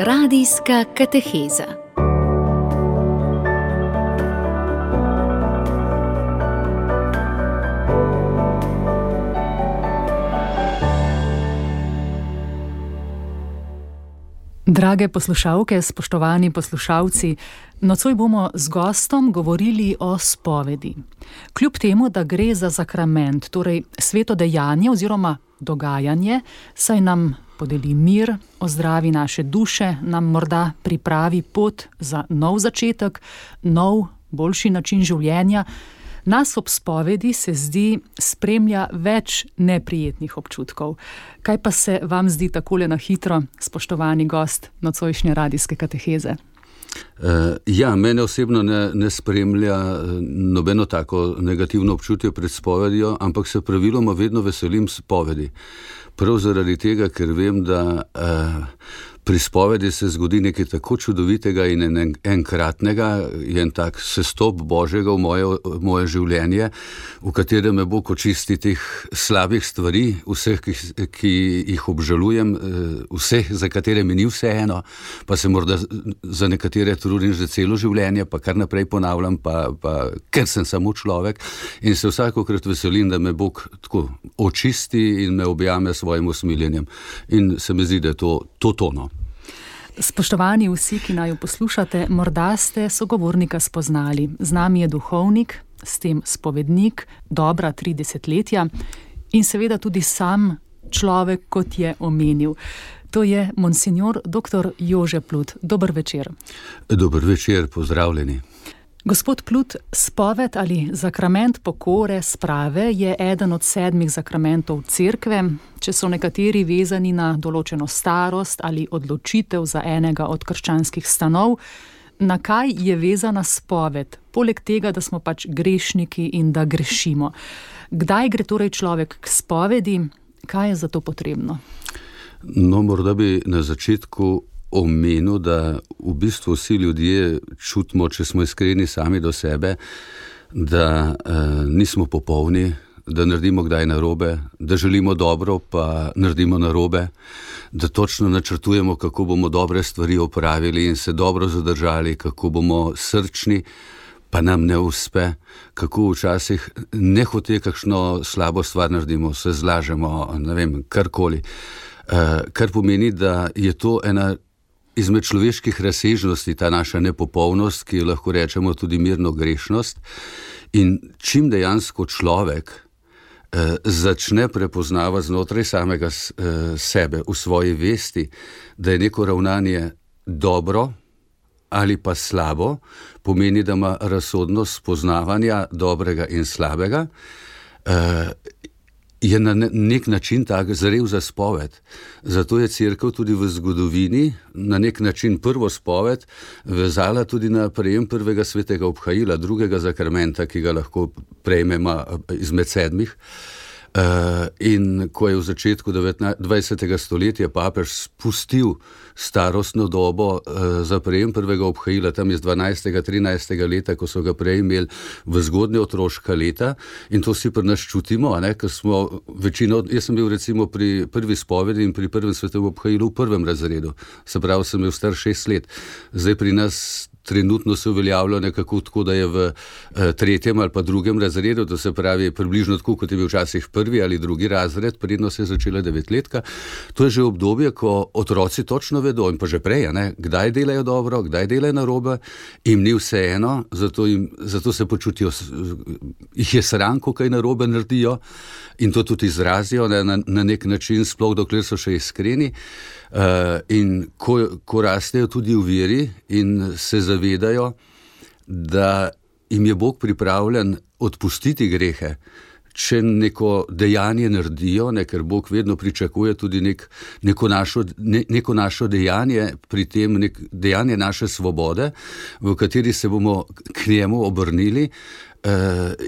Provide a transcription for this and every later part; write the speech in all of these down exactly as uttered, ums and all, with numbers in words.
Radijska kateheza. Drage poslušalke, spoštovani poslušalci, nocoj bomo z gostom govorili o spovedi. Kljub temu, da gre za sakrament, torej sveto dejanje oziroma dogajanje, saj nam podeli mir, ozdravi naše duše, nam morda pripravi pot za nov začetek, nov, boljši način življenja, nas ob spovedi se zdi spremlja več neprijetnih občutkov. Kaj pa se vam zdi takole na hitro, spoštovani gost nocojšnje radijske kateheze? Uh, ja, mene osebno ne, ne spremlja nobeno tako negativno občutje pred spovedjo, ampak se praviloma vedno veselim spovedi. Prav zaradi tega, ker vem, da uh, pri spovedi se zgodi nekaj tako čudovitega in en, enkratnega, je en tak sestop Božjega v moje, v moje življenje, v katerem me Bog očisti teh slabih stvari, vseh, ki, ki jih obžalujem, vseh, za katere mi ni vseeno, pa se morda za nekatere trudim že celo življenje, pa kar naprej ponavljam, pa, pa ker sem samo človek in se vsakokrat veselim, da me Bog tako očisti in me objame s svojim usmiljenjem. In se mi zdi, da je to, to tono. Spoštovani vsi, ki naju poslušate, morda ste sogovornika spoznali. Z nami je duhovnik, s tem spovednik, dobra tri desetletja in seveda tudi sam človek, kot je omenil. To je monsinjor doktor Jože Plut. Dober večer. Dober večer, pozdravljeni. Gospod Plut, spoved ali sakrament pokore, sprave je eden od sedmih sakramentov cerkve. Če so nekateri vezani na določeno starost ali odločitev za enega od krščanskih stanov, na kaj je vezana spoved, poleg tega, da smo pač grešniki in da grešimo? Kdaj gre torej človek k spovedi? Kaj je za to potrebno? No, morda bi na začetku omenil, da v bistvu vsi ljudje čutimo, če smo iskreni sami do sebe, da eh, nismo popolni, da naredimo kdaj narobe, da želimo dobro, pa naredimo narobe, da točno načrtujemo, kako bomo dobre stvari opravili in se dobro zadržali, kako bomo srčni, pa nam ne uspe, kako včasih nehote kakšno slabo stvar naredimo, se zlažemo, ne vem, karkoli. Eh, kar pomeni, da je to ena izmed človeških razsežnosti, ta naša nepopolnost, ki jo lahko rečemo tudi mirno grešnost. In čim dejansko človek eh, začne prepoznavati znotraj samega eh, sebe, v svoji vesti, da je neko ravnanje dobro ali pa slabo, pomeni, da ima razsodnost spoznavanja dobrega in slabega, eh, je na nek način tak zrel za spoved. Zato je cerkev tudi v zgodovini na nek način prvo spoved vezala tudi na prejem prvega svetega obhajila, drugega sakramenta, ki ga lahko prejmemo izmed sedmih. Uh, in ko je v začetku dvajsetega stoletja papež spustil starostno dobo uh, za prejem prvega obhajila, tam iz dvanajstega, trinajstega leta, ko so ga prej imeli v zgodnje otroška leta, in to si pri nas čutimo, ne, ker smo večino, jaz sem bil recimo pri prvi spovedi in pri prvem svetovem obhajilu v prvem razredu, se pravi, sem bil star šest let. Zdaj pri nas trenutno se uveljavlja nekako tako, da je v eh, tretjem ali pa drugem razredu, to se pravi približno tako, kot je bil včasih prvi ali drugi razred, predno se je začela devetletka. To je že obdobje, ko otroci točno vedo in pa že prej, ne, kdaj delajo dobro, kdaj delajo narobe, jim ni vseeno, zato, jim, zato se počutijo, jih je sram, ko kaj narobe naredijo in to tudi izrazijo ne, na, na nek način, sploh dokler so še iskreni. Uh, in ko, ko rastejo tudi v veri in se zavedajo, da jim je Bog pripravljen odpustiti grehe, če neko dejanje naredijo, ne, ker Bog vedno pričakuje tudi nek, neko, našo, ne, neko našo dejanje, pri tem nek, dejanje naše svobode, v kateri se bomo k njemu obrnili,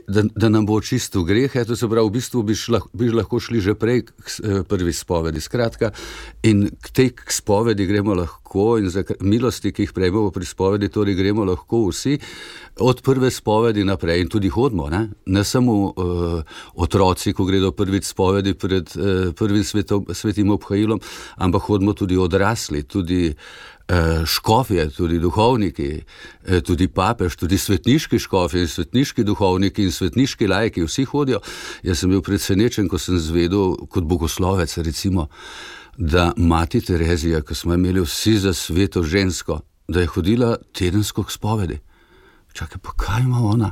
Da, da nam bo očistil greh, to se pravi, v bistvu bi, šla, bi lahko šli že prej k prvi spovedi. Skratka, in k tej k spovedi gremo lahko in za milosti, ki jih prejmemo pri spovedi, torej gremo lahko vsi od prve spovedi naprej in tudi hodimo, ne, ne samo uh, otroci, ko gredo prvič spovedi pred uh, prvim svetom, svetim obhajilom, ampak hodimo tudi odrasli, tudi škofje, tudi duhovniki, tudi papež, tudi svetniški škofje, svetniški duhovniki in svetniški laiki, vsi hodijo. Jaz sem bil presenečen, ko sem zvedel kot bogoslovec, recimo, da mati Terezija, ko smo imeli vsi za sveto žensko, da je hodila tedensko k spovedi. Čakaj, pa kaj ima ona?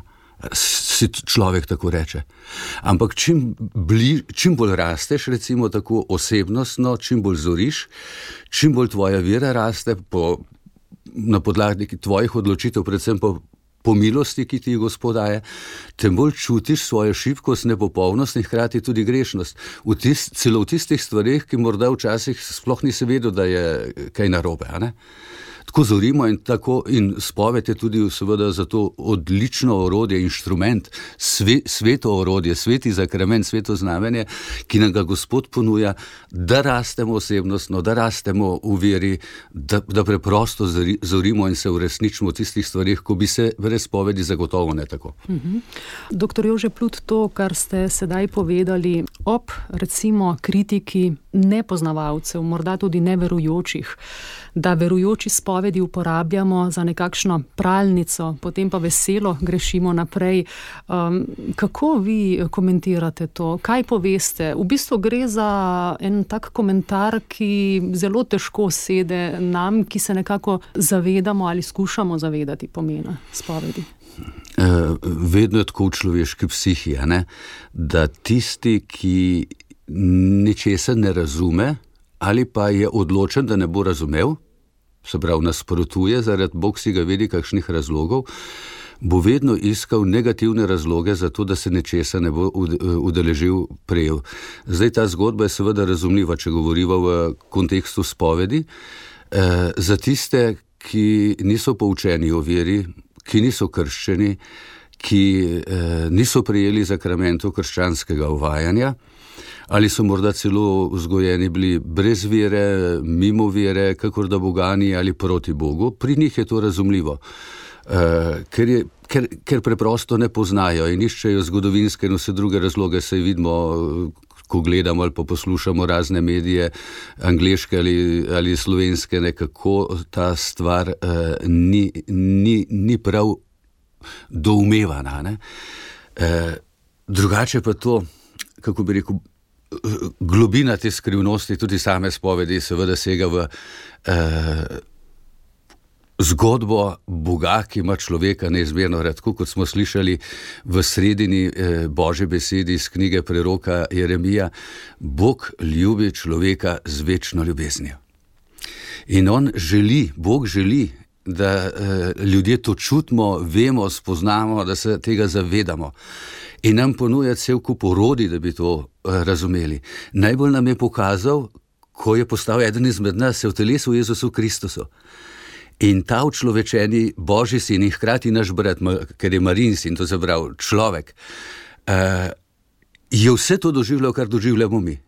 Si človek tako reče. Ampak čim, bli, čim bolj rasteš, recimo tako osebnostno, čim bolj zoriš, čim bolj tvoja vera raste po, na podlagi tvojih odločitev, predvsem po, po milosti, ki ti Gospod daje, tem bolj čutiš svojo šibkost, nepopolnost in hkrati tudi grešnost. V tis, celo v tistih stvareh, ki morda včasih sploh nisi vedel, da je kaj narobe, a ne? Tako zorimo in tako in spoved je tudi seveda za to odlično orodje, inštrument, sve, sveto orodje, sveti zakrament, sveto znamenje, ki nam ga Gospod ponuja, da rastemo osebnostno, da rastemo v veri, da, da preprosto zorimo in se uresničimo v tistih stvarih, ko bi se brez spovedi zagotovo ne tako. Mhm. Doktor Jože Plut, to, kar ste sedaj povedali ob recimo kritiki nepoznavalcev, morda tudi neverujočih, da verujoči spovedi uporabljamo za nekakšno pralnico, potem pa veselo grešimo naprej. Um, kako vi komentirate to? Kaj poveste? V bistvu gre za en tak komentar, ki zelo težko sede nam, ki se nekako zavedamo ali skušamo zavedati pomena spovedi. Uh, vedno je tako v človeški psihi, ne? Da tisti, ki ničesar ne razume, ali pa je odločen, da ne bo razumel, se pravi nasprotuje, zaradi Bog si ga vedi kakšnih razlogov, bo vedno iskal negativne razloge za to, da se nečesa ne bo udeležil prejel. Zdaj ta zgodba je seveda razumljiva, če govoriva v kontekstu spovedi. E, za tiste, ki niso poučeni o veri, ki niso krščeni, ki e, niso prejeli zakramentov krščanskega uvajanja, ali so morda celo vzgojeni bili brez vere, mimo vere, kakor da bogani ali proti Bogu, pri njih je to razumljivo, uh, ker, je, ker, ker preprosto ne poznajo in iščejo zgodovinske in vse druge razloge, saj vidimo, ko gledamo ali pa poslušamo razne medije, angleške ali, ali slovenske, nekako ta stvar uh, ni, ni, ni prav doumevana. Ne? Uh, drugače pa to, kako bi rekel, globina te skrivnosti, tudi same spovedi, seveda sega v eh, zgodbo Boga, ki ima človeka neizmerno rad, kot smo slišali v sredini eh, Božje besedi iz knjige preroka Jeremija. Bog ljubi človeka z večno ljubeznijo. In on želi, Bog želi, da eh, ljudje to čutimo, vemo, spoznamo, da se tega zavedamo. In nam ponuja cel kup orodij, da bi to uh, razumeli. Najbolj nam je pokazal, ko je postal eden izmed nas, se v telesu Jezusu Kristusu. In ta učlovečeni Božji sin in hkrati naš brat, ker je Marijin sin, to se pravi človek, uh, je vse to doživljal, kar doživljamo mi.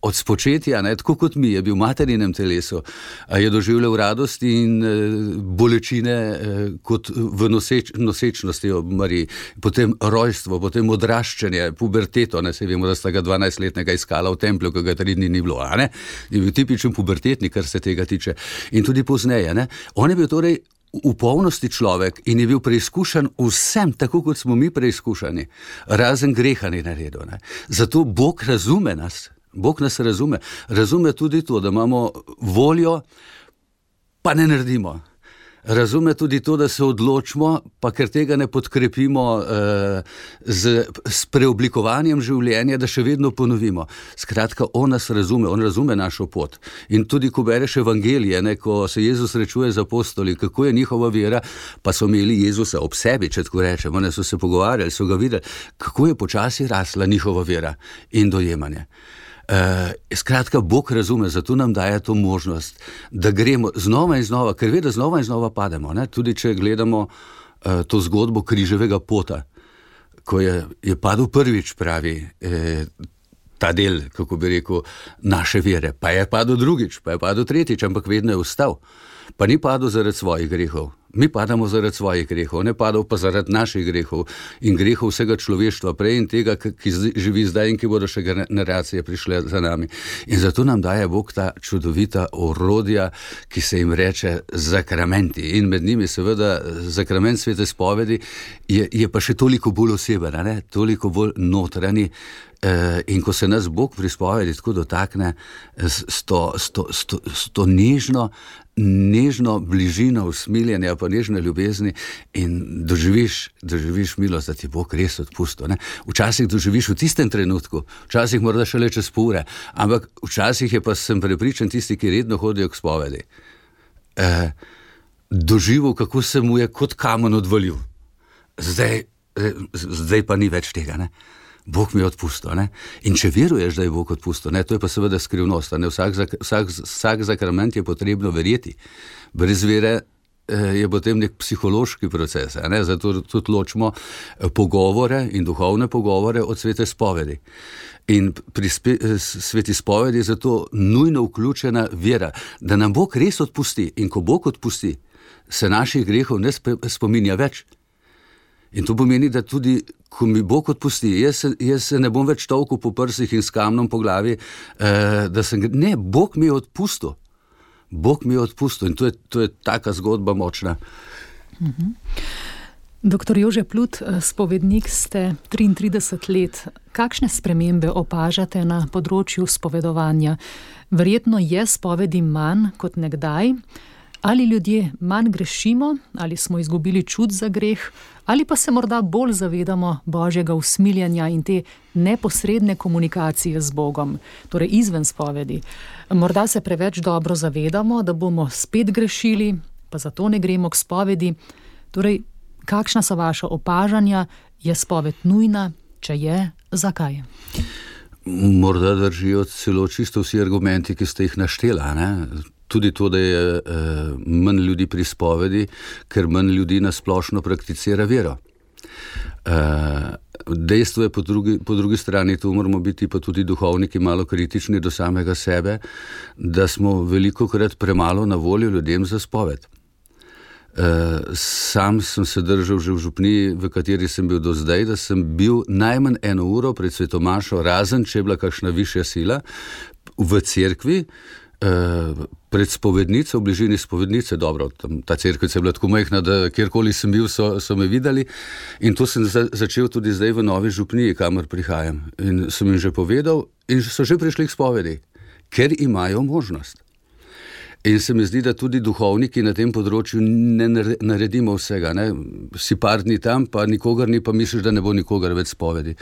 Od spočetja, ne, tako kot mi, je bil v materinem telesu, je doživljal radost in e, bolečine e, kot v noseč, nosečnosti ob Mariji, potem rojstvo, potem odraščanje, puberteto, ne, se vemo, da sta ga dvanajstletnega iskala v templju, ko ga tri dni ni bilo, a ne, je bil tipičen pubertetnik, kar se tega tiče, in tudi pozneje, ne, on je bil torej v polnosti človek in je bil preizkušan vsem, tako kot smo mi preizkušani, razen greha ni naredil, ne, zato Bog razume nas. Bog nas razume. Razume tudi to, da imamo voljo, pa ne naredimo. Razume tudi to, da se odločimo, pa ker tega ne podkrepimo uh, z, s preoblikovanjem življenja, da še vedno ponovimo. Skratka, on nas razume, on razume našo pot. In tudi, ko bereš evangelije, ne, ko se Jezus srečuje z apostoli, kako je njihova vera, pa so imeli Jezusa ob sebi, če tako rečemo, ne, so se pogovarjali, so ga videli, kako je počasi rasla njihova vera in dojemanje. Uh, skratka, Bog razume, zato nam daje to možnost, da gremo znova in znova, ker ve, da znova in znova pademo, ne? Tudi če gledamo uh, to zgodbo križevega pota, ko je, je padel prvič, pravi, eh, ta del, kako bi rekel, naše vere. Pa je padel drugič, pa je padel tretjič, ampak vedno je ostal. Pa ni padel zaradi svojih grehov. Mi padamo zaradi svojih grehov, ne padal pa zaradi naših grehov in grehov vsega človeštva prej in tega, ki živi zdaj in ki bodo še generacije prišle za nami. In zato nam daje Bog ta čudovita orodja, ki se jim reče zakramenti. In med njimi seveda zakrament svete spovedi je, je pa še toliko bolj oseben, ne? Toliko bolj notranji. In ko se nas Bog pri spovedi tako dotakne s, s, to, s, to, s, to, s to nežno, nežno bližino usmiljenja, pa nežne ljubezni in doživiš, doživiš milost, da ti Bog res odpustil. Ne? Včasih doživiš v tistem trenutku, včasih morda šele čez pure, ampak včasih je pa, sem prepričan, tisti, ki redno hodijo k spovedi, eh, doživel, kako se mu je kot kamen odvalil. Zdaj, zdaj pa ni več tega, ne? Bog mi je odpustil, ne? In če veruješ, da je Bog odpustil, ne? To je pa seveda skrivnost, ne? Vsak, vsak, vsak zakrament je potrebno verjeti. Brez vere eh, je potem nek psihološki proces, ne? Zato tudi ločimo pogovore in duhovne pogovore od svete spovedi. In pri spe, sveti spovedi je zato nujno vključena vera, da nam Bog res odpusti. In ko Bog odpusti, se naših grehov ne spominja več. In to pomeni, da tudi, ko mi Bog odpusti, jaz se, jaz se ne bom več tolkel po prsih in s kamnom po glavi, eh, da sem, ne, Bog mi je odpustil. Bog mi je odpustil in to je, to je taka zgodba močna. Mhm. Doktor Jože Plut, spovednik ste triintrideset let. Kakšne spremembe opažate na področju spovedovanja? Verjetno je spovedi manj kot nekdaj. Ali ljudje manj grešimo, ali smo izgubili čut za greh, ali pa se morda bolj zavedamo Božjega usmiljenja in te neposredne komunikacije z Bogom, torej izven spovedi. Morda se preveč dobro zavedamo, da bomo spet grešili, pa zato ne gremo k spovedi. Torej, kakšna so vaša opažanja? Je spoved nujna? Če je, zakaj? Morda držijo celo čisto vsi argumenti, ki ste jih naštela, ne? Tudi to, da je eh, manj ljudi pri spovedi, ker manj ljudi nasplošno prakticira vero. Eh, dejstvo je po drugi, po drugi strani, tu moramo biti pa tudi duhovniki malo kritični do samega sebe, da smo velikokrat premalo na voljo ljudem za spoved. Eh, sam sem se držal že v župniji, v kateri sem bil do zdaj, da sem bil najmanj eno uro pred svetomašo, razen če je bila kakšna višja sila, v cerkvi, Uh, pred spovednico, v bližini spovednice, dobro, tam, ta cerkvica je bila tako majhna, da kjerkoli sem bil, so, so me videli in to sem za, začel tudi zdaj v Novi Župniji, kamor prihajam. In sem jim že povedal in so že prišli k spovedi, ker imajo možnost. In se mi zdi, da tudi duhovniki na tem področju ne naredimo vsega, ne? Si par dni tam, pa nikogar ni, pa misliš, da ne bo nikogar več spovedi.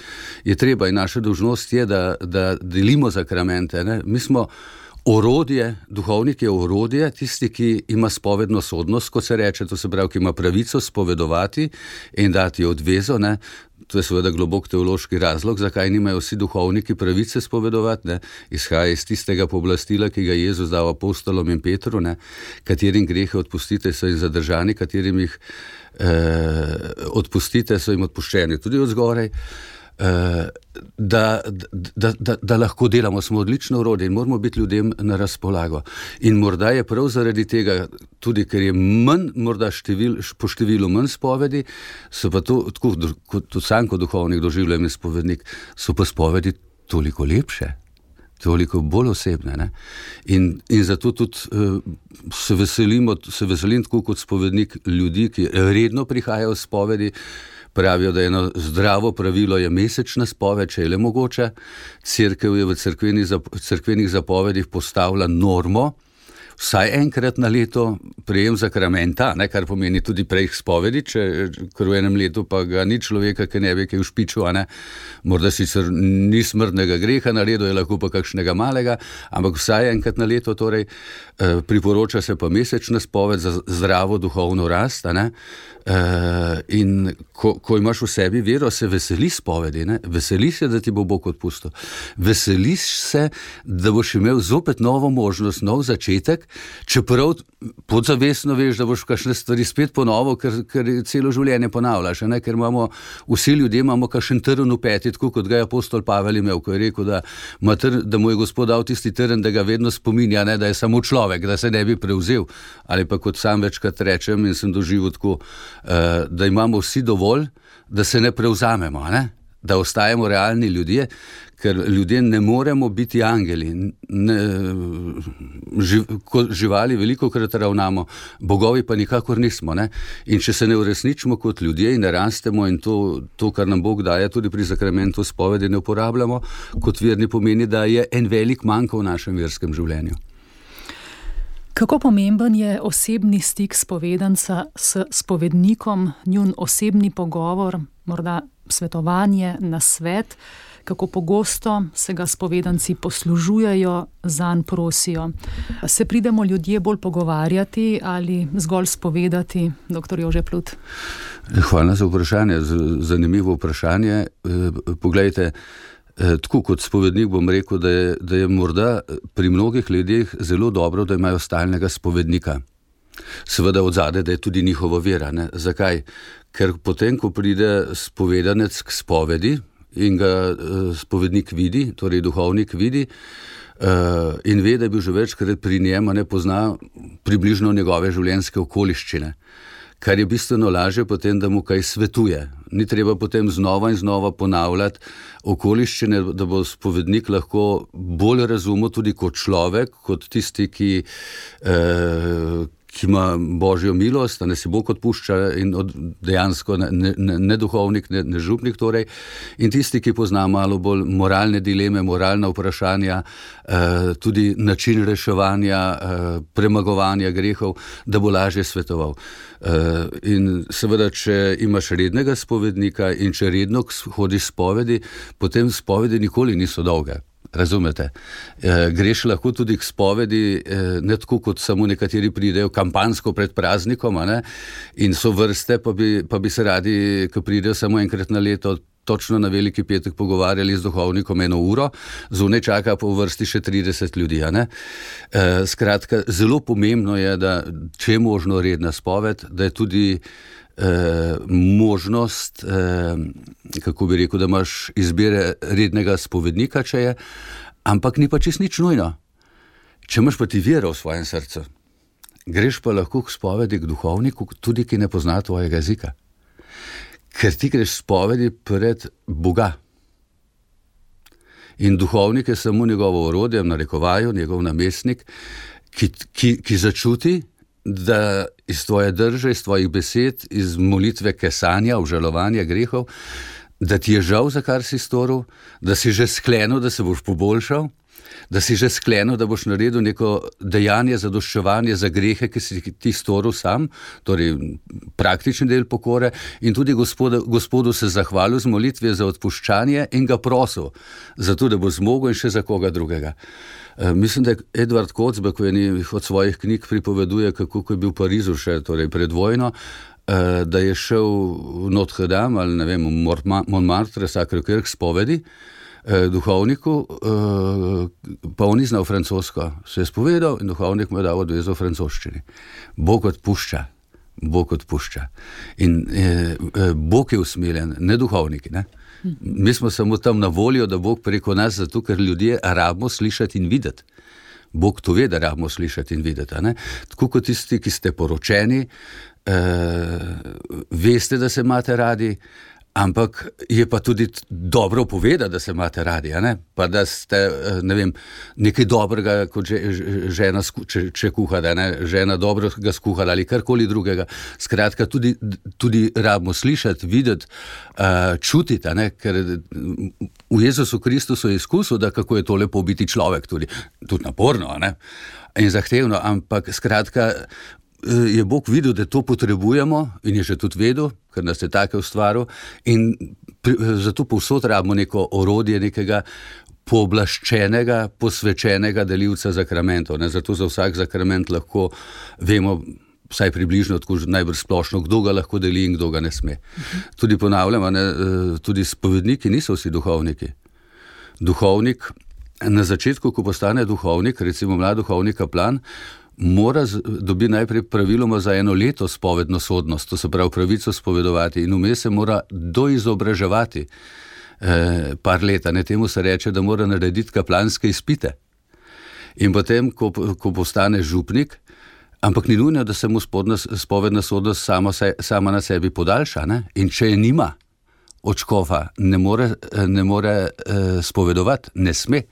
Je treba in naša dolžnost je, da, da delimo zakramente, ne? Mi smo orodje, duhovnik je orodje, tisti, ki ima spovedno sodnost, kot se reče, to se pravi, ki ima pravico spovedovati in dati odvezo, ne? To je seveda globok teološki razlog, zakaj nimajo vsi duhovniki pravice spovedovati, ne? Izhaja iz tistega pooblastila, ki ga Jezus dal apostolom in Petru, ne? Katerim grehe odpustite, so jim zadržani, katerim jih eh, odpustite, so jim odpuščeni, tudi od zgoraj. Uh, da, da, da, da lahko delamo, smo odlično orodje in moramo biti ljudem na razpolago. In morda je prav zaradi tega, tudi ker je manj, morda števil, po številu manj spovedi, so pa to, tako kot sam kot duhovnik doživljam in spovednik, so pa spovedi toliko lepše, toliko bolj osebne. Ne? In, in zato tudi uh, se veselimo, se veselim tako kot spovednik ljudi, ki redno prihajajo v spovedi. Pravijo, da eno zdravo pravilo je mesečna spoved, če je le mogoče. Cerkev je v cerkvenih, cerkvenih zapovedih postavila normo, vsaj enkrat na leto prejem zakramenta, ne, kar pomeni tudi prej spovedi, če, ker v enem letu pa ga ni človeka, ki ne ve, ki je v špiču, a ne. Morda sicer ni smrtnega greha naredil, je lahko pa kakšnega malega, ampak vsaj enkrat na leto, torej eh, priporoča se pa mesečna spoved za zdravo duhovno rast, a ne. Uh, in ko, ko imaš v sebi vero, se veseliš spovedi, ne? Veseliš se, da ti bo Bog odpustil. Veseliš se, da boš imel zopet novo možnost, nov začetek, človek, čeprav podzavestno veš, da boš kakšne stvari spet ponovil, ker, ker celo življenje ponavljaš, ne? Ker imamo, vsi ljudje imamo kakšen trn v peti, tako kot ga je apostol Pavel imel, ko je rekel, da, tr, da mu je Gospod dal tisti trn, da ga vedno spominja, ne? Da je samo človek, da se ne bi prevzel, ali pa kot sam večkrat rečem in sem doživel tako, uh, da imamo vsi dovolj, da se ne prevzamemo, ne? Da ostajamo realni ljudje, ker ljudje ne moremo biti angeli. Ne, živ, kot živali veliko krat ravnamo, bogovi pa nikakor nismo. Ne? In če se ne uresničimo kot ljudje in ne rastemo in to, to, kar nam Bog daje, tudi pri zakramentu spovedi ne uporabljamo, kot verni pomeni, da je en velik manjko v našem verskem življenju. Kako pomemben je osebni stik spovedanca s spovednikom, njun osebni pogovor, morda svetovanje, nasvet, kako pogosto se ga spovedanci poslužujejo, zanj prosijo. Se pridemo ljudje bolj pogovarjati ali zgolj spovedati, doktor Jože Plut? Hvala za vprašanje, zanimivo vprašanje. Poglejte, tako kot spovednik bom rekel, da je, da je morda pri mnogih ljudeh zelo dobro, da imajo stalnega spovednika. Seveda od zadaj, da je tudi njihova vera. Ne? Zakaj? Ker potem, ko pride spovedanec k spovedi in ga uh, spovednik vidi, torej duhovnik vidi uh, in ve, da je bil že večkrat pri njem, ne pozna približno njegove življenjske okoliščine. Kar je bistveno lažje potem, da mu kaj svetuje. Ni treba potem znova in znova ponavljati okoliščine, da bo spovednik lahko bolj razumel tudi kot človek, kot tisti, ki, eh, ki ima Božjo milost, da ne se Bog odpušča in od, dejansko ne, ne, ne duhovnik, ne, ne župnik torej, in tisti, ki pozna malo bolj moralne dileme, moralna vprašanja, eh, tudi način reševanja, eh, premagovanja grehov, da bo lažje svetoval. Uh, in seveda, če imaš rednega spovednika in če redno hodiš spovedi, potem spovedi nikoli niso dolge. Razumete? Uh, greš lahko tudi k spovedi, uh, ne tako kot samo nekateri pridejo kampansko pred praznikom, a ne? In so vrste, pa bi, pa bi se radi, ko pridejo samo enkrat na leto, točno na Veliki petek pogovarjali z duhovnikom eno uro, zunaj čaka po vrsti še trideset ljudi. A ne? E, skratka, zelo pomembno je, da če je možno redna spoved, da je tudi e, možnost, e, kako bi rekel, da imaš izbire rednega spovednika, če je, ampak ni pa čist nič nujno. Če imaš pa ti vero v svojem srcu, greš pa lahko k spovedi k duhovniku, tudi ki ne pozna tvojega jezika. Ker ti greš spovedi pred Boga. In duhovnik je samo njegovo orodje, v narekovaju, njegov namestnik, ki, ki, ki začuti, da iz tvoje drže, iz tvojih besed, iz molitve kesanja, obžalovanja grehov, da ti je žal, za kar si storil, da si že sklenil, da se boš poboljšal, da si že sklenil, da boš naredil neko dejanje zadoščevanje za grehe, ki si ti storil sam, torej praktični del pokore, in tudi gospodu, gospodu se zahvalil z molitve za odpuščanje in ga prosil, zato da bo zmogel in še za koga drugega. E, mislim, da je Edward Kocbek v eni od svojih knjig pripoveduje, kako ko je bil v Parizu še, torej pred vojno, e, da je šel v Notre Dame ali ne vem, v Montmartre, Sacré-Cœur k spovedi, duhovniku, pa on ni znal francosko, se je spovedal in duhovnik mu je dal odvezo v francoščini. Bog odpušča, Bog odpušča. In eh, Bog je usmiljen, ne duhovniki. Ne? Mi smo samo tam na voljo, da Bog preko nas, zato ker ljudje rabimo slišati in videti. Bog to ve, da rabimo slišati in videti. Ne? Tako kot tisti, ki ste poročeni, eh, veste, da se imate radi, ampak je pa tudi dobro povedati, da se imate radi, a ne? Pa da ste, ne vem, nekaj dobrega, kot že, žena, če, če kuha, da ne, žena dobro ga skuhala ali karkoli drugega. Skratka, tudi, tudi rabimo slišati, videti, uh, čutiti, a ne? Ker v Jezusu Kristusu je izkusil, da kako je to lepo biti človek, tudi, tudi naporno, a ne? In zahtevno, ampak skratka, je Bog videl, da to potrebujemo in je že tudi vedel, ker nas je take ustvaril, in pri, zato povsod rabimo neko orodje, nekega pooblaščenega, posvečenega delivca zakramentov. Ne? Zato za vsak zakrament lahko vemo vsaj približno, tako najbolj splošno, kdo ga lahko deli in kdo ga ne sme. Uh-huh. Tudi ponavljam, ne, tudi spovedniki niso vsi duhovniki. Duhovnik, na začetku, ko postane duhovnik, recimo mlad duhovnik kaplan, mora dobiti najprej praviloma za eno leto spovedno sodnost, to se pravi pravico spovedovati, in vmes se mora doizobraževati eh, par leta, ne, temu se reče, da mora narediti kaplanske izpite. In potem, ko, ko postane župnik, ampak ni nujno, da se mu spodna, spovedna sodnost sama, sama na sebi podaljša, ne? In če je nima od škofa, ne more, ne more eh, spovedovati, ne sme.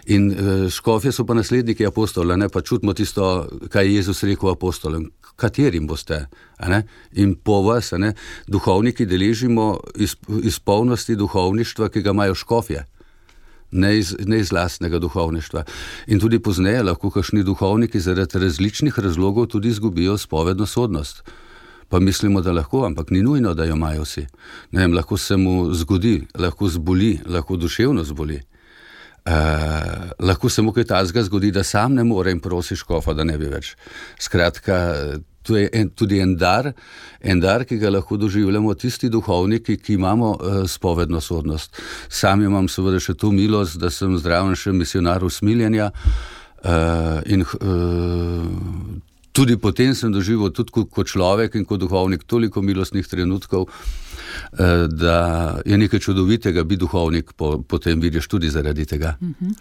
In eh, škofje so pa nasledniki apostola, ne? Pa čutimo tisto, kaj je Jezus rekel apostolem, katerim boste, a ne? In po vas, a ne? Duhovniki deležimo iz, iz polnosti duhovništva, ki ga imajo škofje. Ne iz, ne iz lastnega duhovništva. In tudi pozneje lahko kakšni duhovniki zaradi različnih razlogov tudi izgubijo spovedno sodnost. Pa mislimo, da lahko, ampak ni nujno, da jo imajo vsi. Ne vem, lahko se mu zgodi, lahko zboli, lahko duševno zboli. Uh, lahko se mu kaj tazga zgodi, da sam ne more in prosi škofa, da ne bi več. Skratka, to je en, tudi en dar, en dar, ki ga lahko doživljamo tisti duhovniki, ki imamo uh, spovedno sodnost. Sam imam seveda še to milost, da sem zraven še misionar usmiljenja uh, in uh, tudi potem sem doživel tudi kot človek in kot duhovnik toliko milostnih trenutkov, uh, da je nekaj čudovitega biti duhovnik, po, potem vidiš tudi zaradi tega. Uh-huh.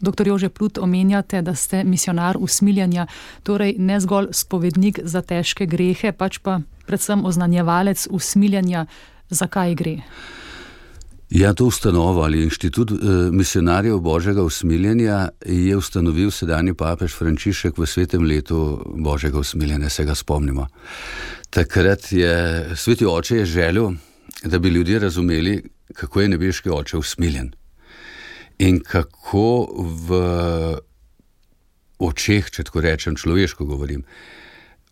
Doktor Jože Plut, omenjate, da ste misionar usmiljenja, torej ne zgolj spovednik za težke grehe, pač pa predvsem oznanjevalec usmiljenja. Zakaj gre? Ja, to ustanovo ali inštitut eh, misionarjev Božjega usmiljenja je ustanovil sedanji papež Frančišek v svetem letu Božjega usmiljenja, se ga spomnimo. Takrat je sveti oče je želel, da bi ljudje razumeli, kako je nebeški oče usmiljen in kako v očeh, če tako rečem, človeško govorim,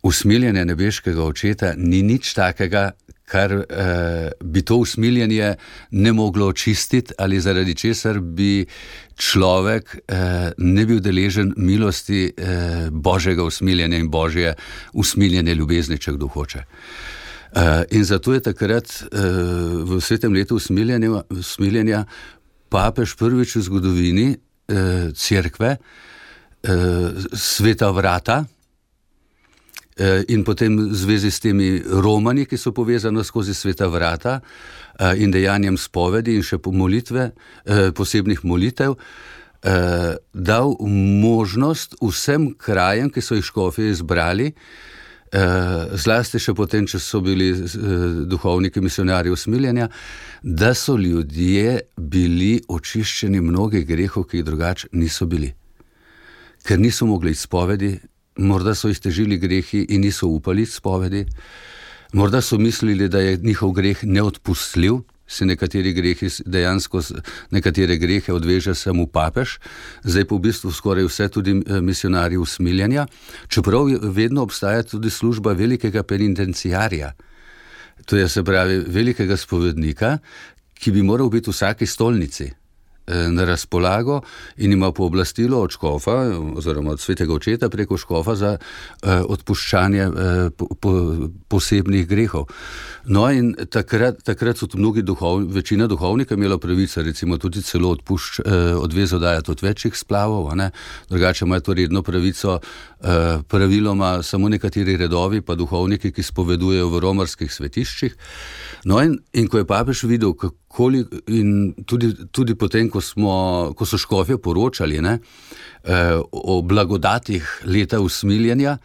usmiljenje nebeškega očeta ni nič takega, kar eh, bi to usmiljenje ne moglo očistiti ali zaradi česar bi človek eh, ne bil deležen milosti eh, Božjega usmiljenja in Božje usmiljenje ljubezni, če kdo hoče. Eh, in zato je takrat eh, v svetem letu usmiljenja, usmiljenja papež prvič v zgodovini eh, cerkve eh, sveta vrata in potem v zvezi s temi romani, ki so povezani skozi sveta vrata in dejanjem spovedi in še po molitve, posebnih molitev, dal možnost vsem krajem, ki so jih škofje izbrali, zlasti še potem, če so bili duhovniki misionarji usmiljenja, da so ljudje bili očiščeni mnogih grehov, ki jih drugače niso bili. Ker niso mogli izpovedi, morda so jih težili grehi in niso upali spovedi, morda so mislili, da je njihov greh neodpustljiv, se nekateri grehi dejansko, nekatere grehe odveže samo papež, zdaj pa v bistvu skoraj vse tudi misionarji usmiljenja, čeprav vedno obstaja tudi služba velikega penitenciarja, to je se pravi velikega spovednika, ki bi moral biti v vsaki stolnici na razpolago in ima pooblastilo od škofa oziroma od svetega očeta preko škofa za eh, odpuščanje eh, po, po, posebnih grehov. No in takrat, takrat so mnogi duhov, večina duhovnika imela pravico, recimo tudi celo odpušč, eh, odvezo dajati od večjih splavov, a ne? Drugače imajo to redno pravico eh, praviloma samo nekateri redovi, pa duhovniki, ki spovedujejo v romarskih svetiščih. No in, in ko je papež videl, kako in tudi, tudi potem, ko, smo, ko so škofje poročali ne, eh, o blagodatih leta usmiljenja,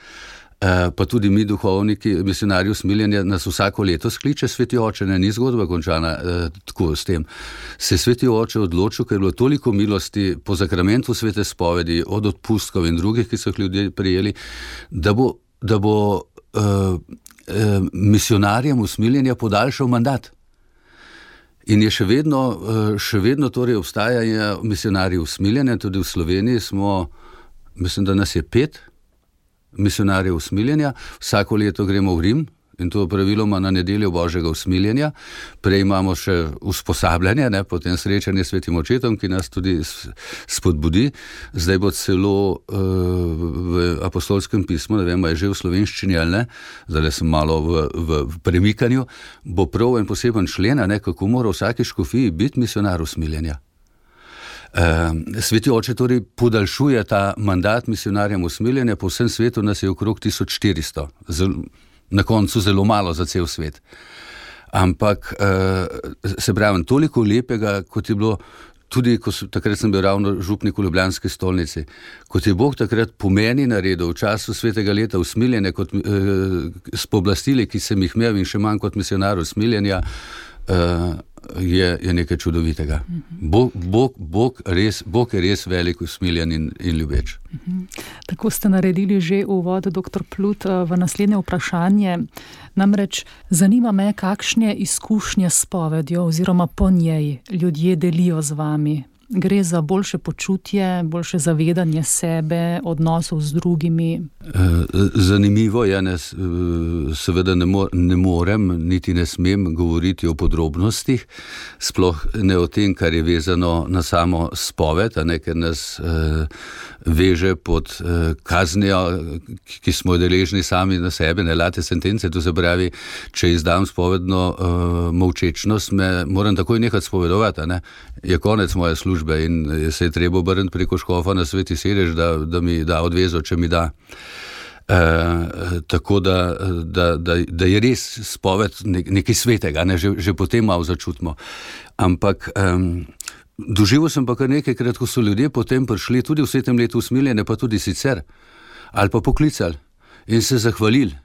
eh, pa tudi mi duhovniki, misionarji usmiljenja, nas vsako leto skliče sveti oče, ne, ni zgodba končana eh, tako s tem. Se sveti oče odločil, ker je bilo toliko milosti po zakramentu svete spovedi, od odpustkov in drugih, ki so jih ljudje prijeli, da bo, da bo eh, eh, misionarjem usmiljenja podaljšal mandat. In je še vedno, še vedno torej obstajajo misionarji usmiljenja, tudi v Sloveniji smo, mislim, da nas je pet misionarjev usmiljenja, vsako leto gremo v Rim in to praviloma na nedeljo Božjega usmiljenja, prej imamo še usposabljanje, ne, potem srečanje s svetim očetom, ki nas tudi spodbudi, zdaj bo celo uh, v apostolskem pismu, ne vem, je že v slovenščini ali ne, zdaj sem malo v, v, v premikanju, bo prav en poseben člen, ne, kako mora vsaki škofiji biti misionar usmiljenja. Sveti oče torej podaljšuje ta mandat misionarjem usmiljenja, po vsem svetu nas je okrog tisoč štiristo, na koncu zelo malo za cel svet. Ampak se pravi, toliko lepega, kot je bilo tudi, ko so, takrat sem bil ravno župnik v Ljubljanski stolnici, kot je Bog takrat po meni naredil v času svetega leta usmiljenja, kot eh, s pooblastili, ki sem jih imel in še manj kot misionar usmiljenja, eh, je, je nekaj čudovitega. Bog, Bog, Bog, res, Bog je res velik, usmiljen in, in ljubeč. Tako ste naredili že uvod, doktor Plut, v naslednje vprašanje. Namreč zanima me, kakšne izkušnje s spovedjo oziroma po njej ljudje delijo z vami. Gre za boljše počutje, boljše zavedanje sebe, odnosov z drugimi? Zanimivo je, ne, seveda ne, mo- ne morem, niti ne smem govoriti o podrobnostih, sploh ne o tem, kar je vezano na samo spoved, a ne, ker nas eh, veže pod eh, kaznijo, ki smo deležni sami na sebe, ne late sentence, to se pravi, če izdam spovedno eh, molčečnost, me moram takoj nekaj spovedovati, ne, je konec moje službe in se je treba obrniti preko škofa na Sveti sedež, da, da mi da odvezo, če mi da. E, tako da, da, da, da je res spoved nekaj svetega, ne? že, že potem malo začutimo. Ampak um, doživel sem pa kar nekajkrat, ko so ljudje potem prišli tudi v svetem letu usmiljenja, pa tudi sicer, ali pa poklicali in se zahvalili,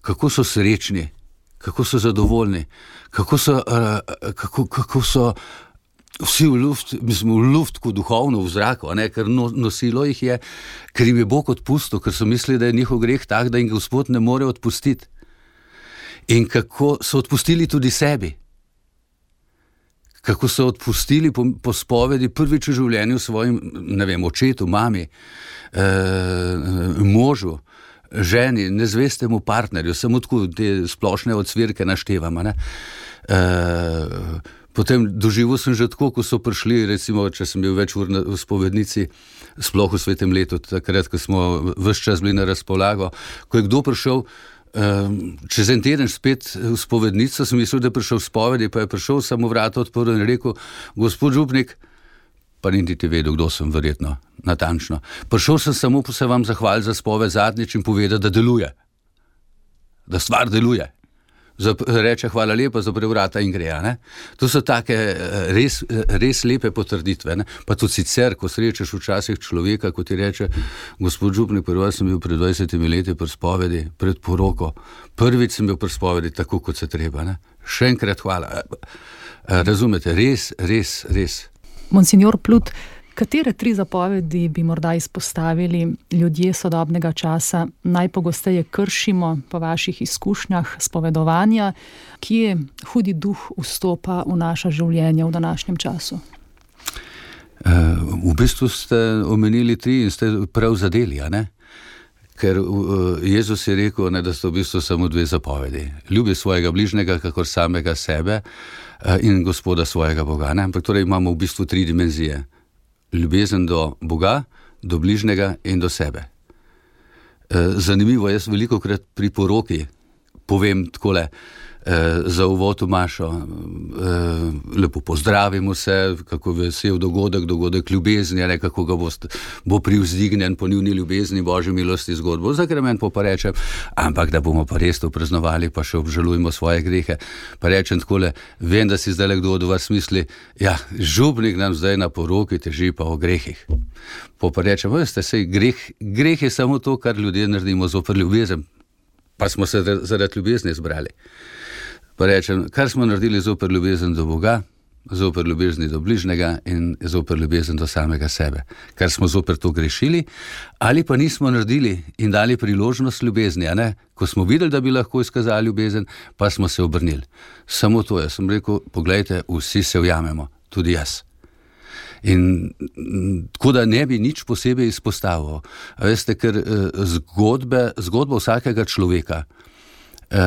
kako so srečni, kako so zadovoljni, kako so, uh, kako, kako so vsi v luft, mislim, v luftku duhovno v zraku, ne, ker no, nosilo jih je, ker jim je Bog odpustil, ker so mislili, da je njihov greh tak, da jim Gospod ne more odpustiti. In kako so odpustili tudi sebi. Kako so odpustili po, po spovedi prvič v življenju svojim, ne vem, očetu, mami, eh, možu, ženi, nezvestemu partnerju, samo tako te splošne odsvirke naštevamo, ne. Eh, Potem doživel sem že tako, ko so prišli, recimo, če sem bil več ur na, v spovednici, sploh v svetem letu, takrat, ko smo ves čas bili na razpolago, ko je kdo prišel um, čez en teden spet v spovednico, sem mislil, da je prišel v spovedi, pa je prišel, samo vrata odprl in rekel, gospod župnik, pa niti ti vedel, kdo sem verjetno, natančno. Prišel sem samo se vam zahvaliti za spoved zadnjič in povedati, da deluje, da stvar deluje. Reče hvala lepa, zapre vrata in gre. Ne? To so take res, res lepe potrditve. Ne? Pa tudi sicer, ko srečaš včasih človeka, ko ti reče, gospod župnik, prvi sem bil pred dvajsetimi leti pri spovedi, pred poroko, prvič sem bil pri spovedi tako, kot se treba. Ne? Še enkrat hvala. Razumete, res, res, res. Monsignor Plut, katere tri zapovedi bi morda izpostavili ljudje sodobnega časa najpogosteje kršimo po vaših izkušnjah spovedovanja, kje hudi duh vstopa v naša življenja v današnjem času? V bistvu ste omenili tri in ste prav zadeli, a ne? Ker Jezus je rekel, ne, da so v bistvu samo dve zapovedi. Ljubi svojega bližnjega, kakor samega sebe, in Gospoda svojega Boga. Ne? Ampak torej imamo v bistvu tri dimenzije. Ljubezen do Boga, do bližnjega in do sebe. Zanimivo, jaz veliko krat pri poroki povem takole, za uvod v mašo, lepo pozdravimo se, kako vesel dogodek, dogodek ljubezni, ne, kako ga bo, bo privzdignjen po njuni ljubezni, Božji milosti zgodbo, zakrament pa rečem, ampak da bomo pa res to praznovali, pa še obžalujemo svoje grehe, pa rečem takole, vem, da si zdaj kdo od vas misli, ja, župnik nam zdaj na poroki teži pa o grehih. Pa pa rečem, veste, sej greh, greh je samo to, kar ljudje naredimo zoper ljubezen, pa smo se zaradi ljubezni zbrali. Pa rečem, kar smo naredili zoper ljubezen do Boga, zoper ljubezni do bližnjega in zoper ljubezen do samega sebe. Kar smo zoper to grešili, ali pa nismo naredili in dali priložnost ljubezni, a ne? Ko smo videli, da bi lahko izkazali ljubezen, pa smo se obrnili. Samo to je, sem rekel, poglejte, vsi se ujamemo, tudi jaz. In tako da ne bi nič posebej izpostavil. A veste, ker zgodbe, zgodba vsakega človeka Uh,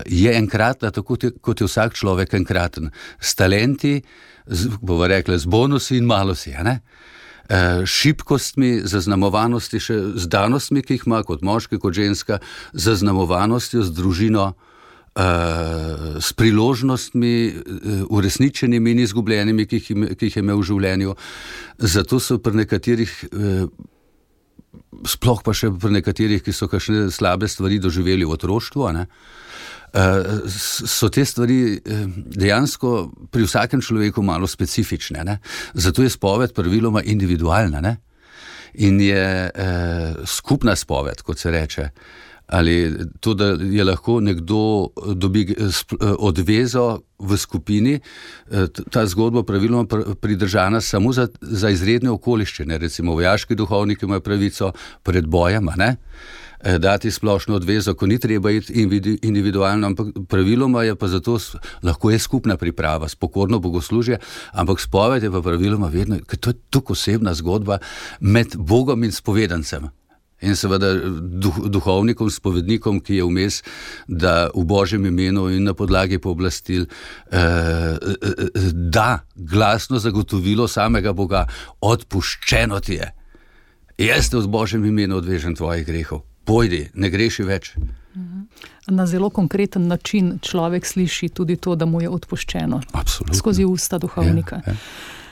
je enkratna, tako kot je vsak človek enkraten. S talenti, z, bova rekla, z bonusi in malosi, ne? Uh, šibkostmi, zaznamovanostmi, še z danostmi, ki jih ima kot moški, kot ženska, zaznamovanostjo, z družino, s priložnostmi, uresničenimi in izgubljenimi, ki jih, ki jih je imel v življenju. Zato so pri nekaterih, sploh pa še pri nekaterih, ki so kakšne slabe stvari doživeli v otroštvu, ne, so te stvari dejansko pri vsakem človeku malo specifične. Ne? Zato je spoved praviloma individualna, ne? In je eh, skupna spoved, kot se reče. Ali to, da je lahko nekdo dobi odvezo v skupini, ta zgodba praviloma pridržana samo za, za izredne okoliščine. Recimo vojaški duhovniki imajo pravico pred bojem, ne? Dati splošno odvezo, ko ni treba iti individualno, ampak praviloma je pa zato, lahko je skupna priprava, spokorno bogoslužje, ampak spoved je pa praviloma vedno, ker to je tako osebna zgodba med Bogom in spovedancem. In seveda duh, duhovnikom, spovednikom, ki je vmes, da v Božjem imenu in na podlagi pooblastil eh, da glasno zagotovilo samega Boga, odpuščeno ti je. Jaz te v Božjem imenu odvežem tvojih grehov. Pojdi, ne greši več. Na zelo konkreten način človek sliši tudi to, da mu je odpuščeno. Absolutno. Skozi usta duhovnika. Ja, ja.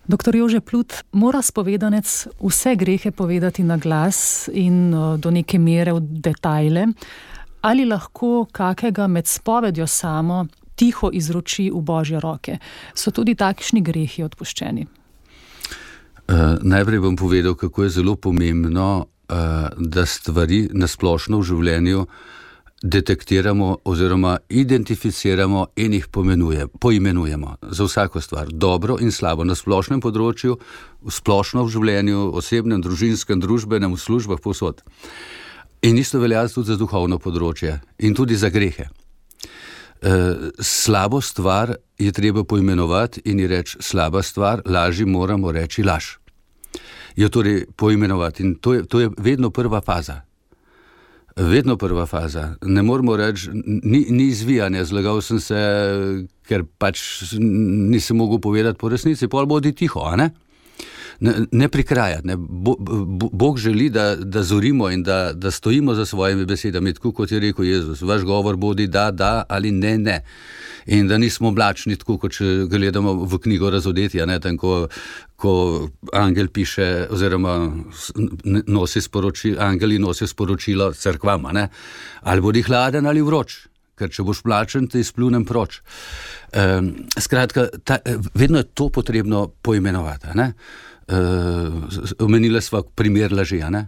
Doktor Jože Plut, mora spovedanec vse grehe povedati na glas in do neke mere v detajle, ali lahko kakega med spovedjo samo tiho izroči v Božje roke? So tudi takšni grehi odpuščeni? Uh, najprej bom povedal, kako je zelo pomembno, uh, da stvari nasplošno v življenju detektiramo oziroma identificiramo in jih pomenuje, poimenujemo za vsako stvar, dobro in slabo, na splošnem področju, splošno v življenju, osebnem, družinskem, družbenem, v službah, povsod. In isto velja tudi za duhovno področje in tudi za grehe. Uh, slabo stvar je treba poimenovati in ji reči slaba stvar, laži moramo reči laž. Jo torej poimenovati in to je, to je vedno prva faza. Vedno prva faza. Ne moramo reči, ni, ni izvijanja, zlagal sem se, ker pač nisem mogel povedati po resnici, pol bodi tiho, a ne? Ne, ne prikrajati. Ne. Bo, bo, Bog želi, da, da zorimo in da, da stojimo za svojimi besedami, tako kot je rekel Jezus. Vaš govor bodi da, da ali ne, ne. In da nismo mlačni, tako kot če gledamo v knjigo Razodetja, ne, tam, ko, ko angel piše, oziroma nosi sporočilo, angeli nosijo sporočilo cerkvam, ne, ali bodi hladen ali vroč, ker če boš mlačen, te izplunem proč. Um, skratka, ta, vedno je to potrebno poimenovati, ne. Uh, omenila sva primer laži, ne.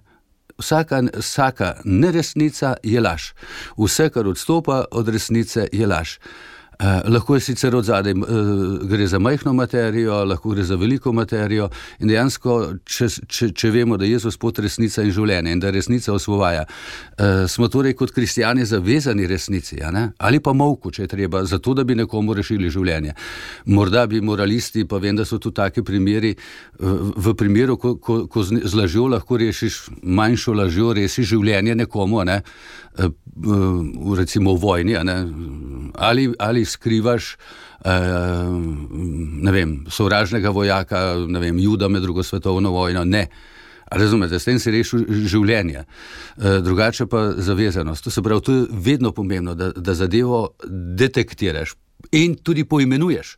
Vsaka, vsaka neresnica je laž. Vse, kar odstopa od resnice, je laž. Uh, lahko je sicer od zadaj, uh, gre za majhno materijo, lahko gre za veliko materijo in dejansko, če, če, če vemo, da je Jezus pot resnica in življenje in da resnica osvobaja, uh, smo torej kot kristjani zavezani resnici, a ne? Ali pa molku, če je treba, zato da bi nekomu rešili življenje. Morda bi moralisti, pa vem, da so tu taki primeri, v, v primeru, ko, ko, ko z lažjo lahko rešiš, manjšo lažjo rešiš življenje nekomu, a ne? Uh, uh, recimo v vojni, a ne? Ali, ali skrivaš uh, ne vem, sovražnega vojaka, ne vem, Juda med drugo svetovno vojno, ne. Razumete, s tem si rešil življenje. Uh, drugače pa zavezanost. To se pravi, to je vedno pomembno, da, da zadevo detektiraš in tudi poimenuješ.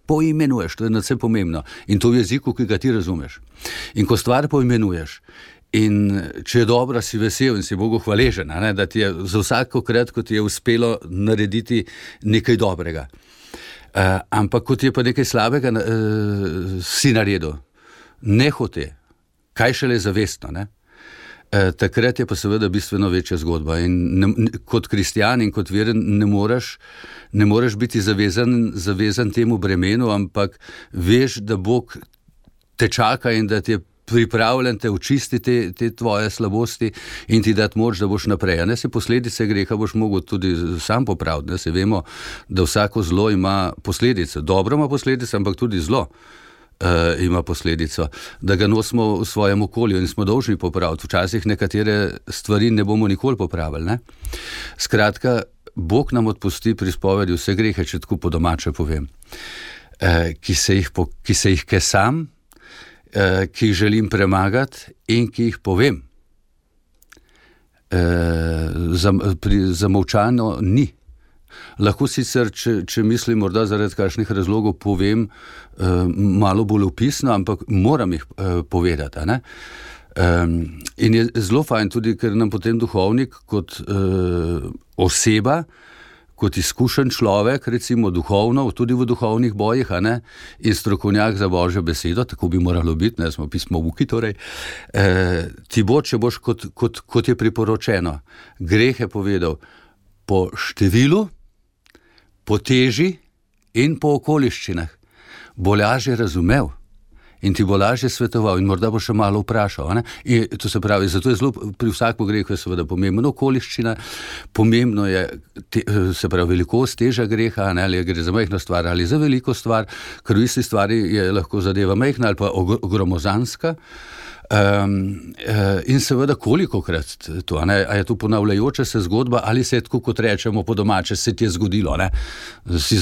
Poimenuješ, to je nadvse pomembno. In to v jeziku, ki ga ti razumeš. In ko stvar poimenuješ, in če je dobra, si vesel in si Bogu hvaležen, ne, da ti je za vsakokrat, ko ti je uspelo narediti nekaj dobrega. Uh, ampak ko ti je pa nekaj slabega, uh, si naredil, ne hote, kaj šele zavestno, ne? Uh, takrat je pa seveda bistveno večja zgodba in ne, kot kristjan in kot veren ne moreš, ne moreš biti zavezan, zavezan temu bremenu, ampak veš, da Bog te čaka in da ti je pripravljen te očistiti te, te tvoje slabosti in ti dati moč, da boš naprej. Ne, se posledice greha boš mogel tudi sam popraviti. Ne, se vemo, da vsako zlo ima posledice. Dobro ima posledice, ampak tudi zlo uh, ima posledico. Da ga nosimo v svojem okolju in smo dolžni popraviti. Včasih nekatere stvari ne bomo nikoli popravili. Ne. Skratka, Bog nam odpusti pri spovedi vse grehe, če tako po domače povem, uh, ki se jih, po, ki se jih kesam, ki jih želim premagati in ki jih povem. E, zamolčano ni. Lahko sicer, če, če mislim, morda zaradi kakšnih razlogov povem uh, malo bolj opisno, ampak moram jih uh, povedati. Ne? Um, in je zelo fajn tudi, ker nam potem duhovnik kot uh, oseba, kot izkušen človek, recimo duhovno, tudi v duhovnih bojih, a ne, in strokovnjak za Božjo besedo, tako bi moralo biti, ne, smo pismovuki, torej, eh, ti bo, če boš, kot, kot, kot je priporočeno, grehe povedal po številu, po teži in po okoliščinah, bo lažje razumel in ti bo lažje svetoval in morda bo še malo vprašal. Ne? In to se pravi, zato je zelo pri vsakem grehu je seveda pomembno okoliščina, pomembno je te, se pravi velikost, teža greha, ne? Ali gre za majhno stvar ali za veliko stvar, ker v isti stvari je lahko zadeva majhna ali pa gromozanska. Um, uh, in seveda kolikokrat to, ne? A je to ponavljajoča se zgodba ali se je tako, kot rečemo po domače, se ti je zgodilo, ne? Si,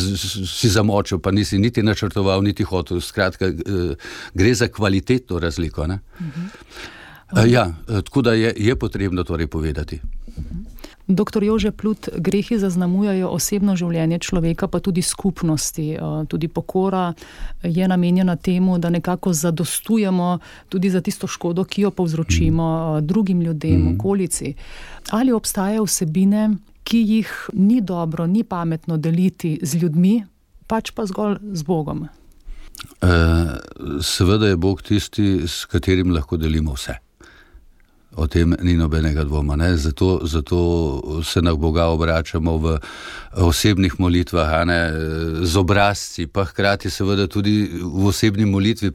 si zamočil, pa nisi niti načrtoval, niti hotel, skratka, uh, gre za kvalitetno razliko, ne? Uh-huh. Uh, ja, tako da je, je potrebno torej povedati. Uh-huh. Doktor Jože Plut, grehi zaznamujajo osebno življenje človeka, pa tudi skupnosti. Tudi pokora je namenjena temu, da nekako zadostujemo tudi za tisto škodo, ki jo povzročimo drugim ljudem, okolici. Ali obstajajo vsebine, ki jih ni dobro, ni pametno deliti z ljudmi, pač pa zgolj z Bogom? Uh, seveda je Bog tisti, s katerim lahko delimo vse. O tem ni nobenega dvoma. Ne? Zato, zato se na Boga obračamo v osebnih molitvah, a ne, z obrazci, pa hkrati seveda tudi v osebni molitvi,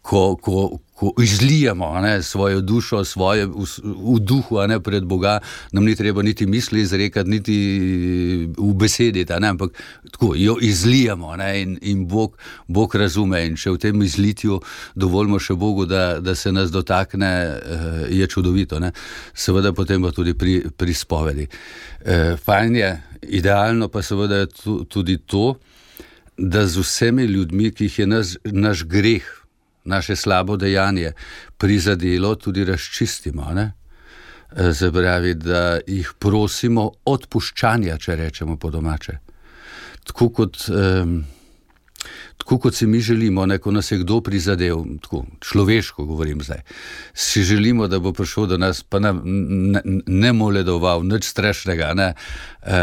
ko, ko, ko izlijamo, a ne, svojo dušo, svoje v, v duhu, a ne, pred Boga, nam ni treba niti misli izrekati, niti v besediti, a ne, ampak tako, jo izlijamo, a ne, in, in Bog, Bog razume, in če v tem izlitju dovolimo še Bogu, da, da se nas dotakne, je čudovito, ne. Seveda potem pa tudi pri, pri spovedi. E, fajn je, idealno pa seveda je tudi to, da z vsemi ljudmi, ki jih je naš, naš greh, naše slabo dejanje prizadelo, tudi razčistimo, ne? Se pravi, da jih prosimo odpuščanja, če rečemo po domače. Tako kot, um, tako kot si mi želimo, ne, ko nas je kdo prizadel, tako človeško govorim zdaj, si želimo, da bo prišel do nas, pa nam ne, ne moledoval, nič strašnega, ne, e,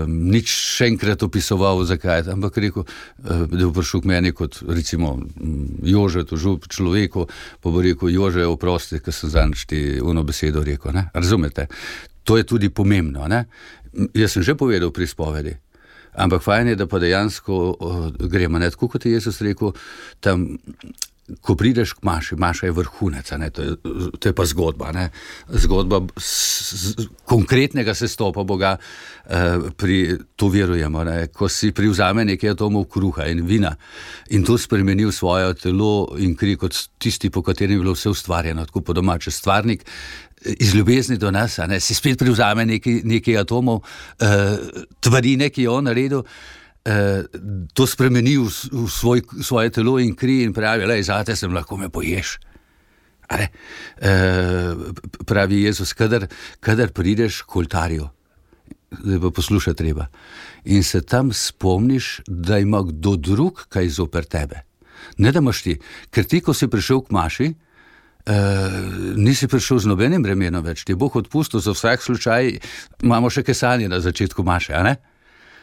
nič še enkrat opisoval, zakaj, ampak rekel, da bo prišel k meni kot recimo Jože, tožub človeku, pa bo rekel, Jože, oprosti, ker sem zanj ti uno besedo rekel, ne, razumete? To je tudi pomembno, ne. Jaz sem že povedal pri spovedi, ampak fajn je, da pa dejansko uh, gremo, ne, tako kot je Jezus rekel, tam, ko prideš k maši, maša je vrhunec, ne, to je, to je pa zgodba, ne, zgodba s, s, konkretnega sestopa Boga, uh, pri, to verujemo, ne, ko si privzame nekaj atomov kruha in vina in to spremeni v svoje telo in kri kot tisti, po katerem je bilo vse ustvarjeno, tako po domače, stvarnik, iz ljubezni do nas, a ne, si spet privzame nekaj, nekaj atomov, uh, tvarine, ki je on naredil, uh, to spremeni v, v svoj, svoje telo in kri in pravi, lej, zate sem, lahko me poješ. A ne, uh, pravi Jezus, kadar, kadar prideš k oltarju, da pa posluša treba, in se tam spomniš, da ima kdo drug kaj zoper tebe. Ne da imaš ti, ker ti, ko si prišel k maši, Uh, nisi prišel z nobenim bremenom več, ti je Bog odpustil, za vsak slučaj imamo še kesanje na začetku maše, a ne?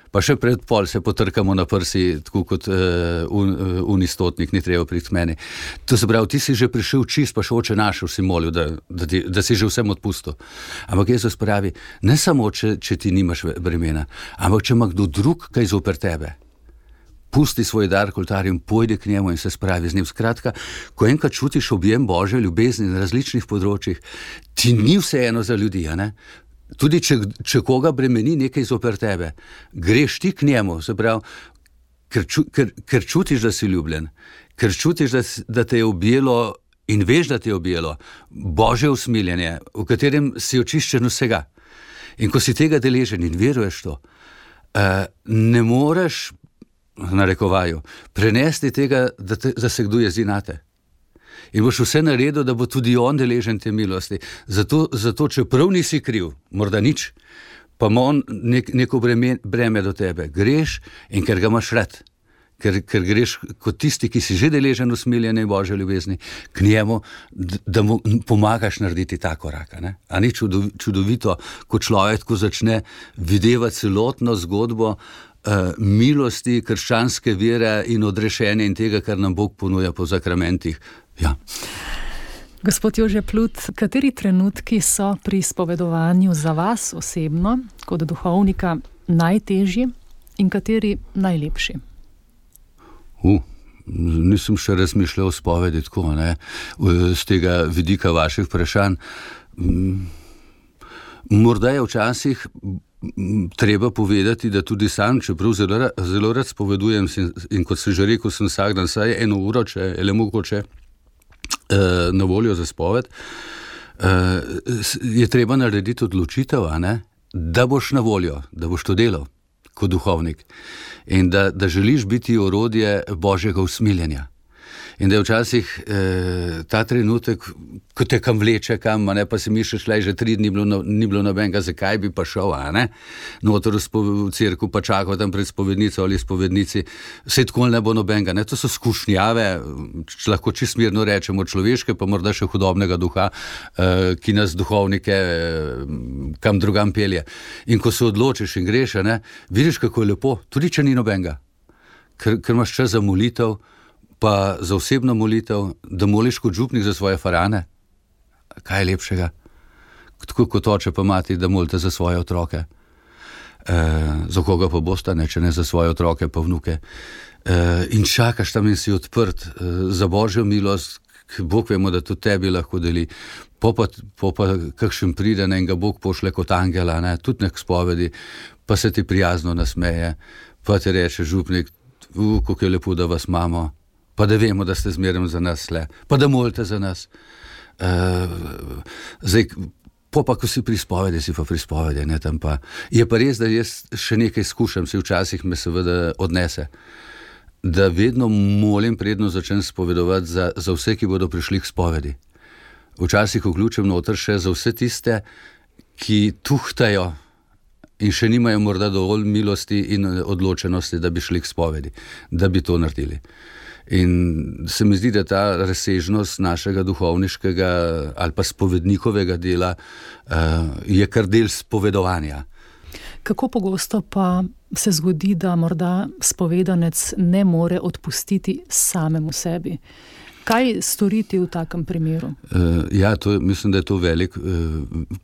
Pa še pred pol se potrkamo na prsi, tako kot uh, un, uh, unistotnik, ni treba priti k meni. To se pravi, ti si že prišel čist, pa še oče našel si molil, da, da, ti, da si že vsem odpustil. Ampak Jezus pravi, ne samo, če, če ti nimaš bremena, ampak če ima kdo drug kaj zoper tebe, pusti svoj dar k oltarju in pojdi k njemu in se spravi z njim. Skratka, ko enkrat čutiš objem Božje ljubezni na različnih področjih, ti ni vseeno za ljudi, a ne? Tudi če, če koga bremeni nekaj zoper tebe, greš ti k njemu, se pravi, ker, ču, ker, ker čutiš, da si ljubljen, ker čutiš, da, da te je objelo in veš, da te je objelo Božje usmiljenje, v katerem si očiščen vsega. In ko si tega deležen in veruješ to, uh, ne moreš narekovaju, prenesti tega, da, te, da se kdo jezi nate. In boš vse naredil, da bo tudi on deležen te milosti. Zato, zato čeprav nisi kriv, morda nič, pa ima on nek, neko breme, breme do tebe. Greš in ker ga imaš rad, ker, ker greš kot tisti, ki si že deležen usmiljene in Božje ljubezni, k njemu, da mu pomagaš narediti ta korak. Ne? A ni čudovito, ko človek tako začne videvati celotno zgodbo uh, milosti, krščanske vere in odrešenja in tega, kar nam Bog ponuja po zakramentih. Ja. Gospod Jože Plut, kateri trenutki so pri spovedovanju za vas osebno, kot duhovnika, najtežji in kateri najlepši? Uh, nisem še razmišljal o spovedi tako, ne, z tega vidika vaših vprašanj. Morda je včasih treba povedati, da tudi sam, čeprav zelo, zelo rad spovedujem in kot sem že rekel, sem vsak dan vsaj eno uro, če je le mogoče, na voljo za spoved, je treba narediti odločitev, a ne, da boš na voljo, da boš to delal kot duhovnik in da, da želiš biti orodje Božjega usmiljenja. In da je včasih eh, ta trenutek, ko te kam vleče kam, a ne, pa si misliš, le že tri dni bilo, ni bilo nobenega, zakaj bi pa šel, a ne, noter v cerku pa čakal tam pred spovednico ali spovednici, vse tako ne bo nobenega, ne, to so skušnjave, če lahko čisto mirno rečemo človeške, pa morda še hudobnega duha, eh, ki nas duhovnike eh, kam drugam pelje. In ko se odločiš in greš, a ne, vidiš, kako je lepo, tudi če ni nobenega, ker, ker imaš čas za molitev, pa za osebno molitev, da moliš kot župnik za svoje farane. Kaj je lepšega? Tako kot oče pa mati, da molite za svoje otroke. E, za koga pa boste, ne, če ne za svoje otroke pa vnuke. E, in čakaš tam in si odprt e, za Božjo milost, Bog vemo, da tudi tebi lahko deli. Po pa, po pa kakšen pride, ne, in ga Bog pošle kot angela, ne, tudi nek spovedi, pa se ti prijazno nasmeje, pa ti reče župnik, uh, kako je lepo, da vas imamo, pa da vemo, da ste zmeraj za nas le, pa da molite za nas. Uh, zdaj, po pa, ko si pri spovedi, si pa pri spovedi, ne, tam pa. Je pa res, da jaz še nekaj skušam, si včasih me seveda odnese, da vedno molim, predno začnem spovedovati za, za vse, ki bodo prišli k spovedi. Včasih vključim noter še za vse tiste, ki tuhtajo in še nimajo morda dovolj milosti in odločenosti, da bi šli k spovedi, da bi to naredili. In se mi zdi, da ta razsežnost našega duhovniškega ali pa spovednikovega dela uh, je kar del spovedovanja. Kako pogosto pa se zgodi, da morda spovedanec ne more odpustiti samemu sebi? Kaj storiti v takem primeru? Uh, ja, to, mislim, da je to velik, uh,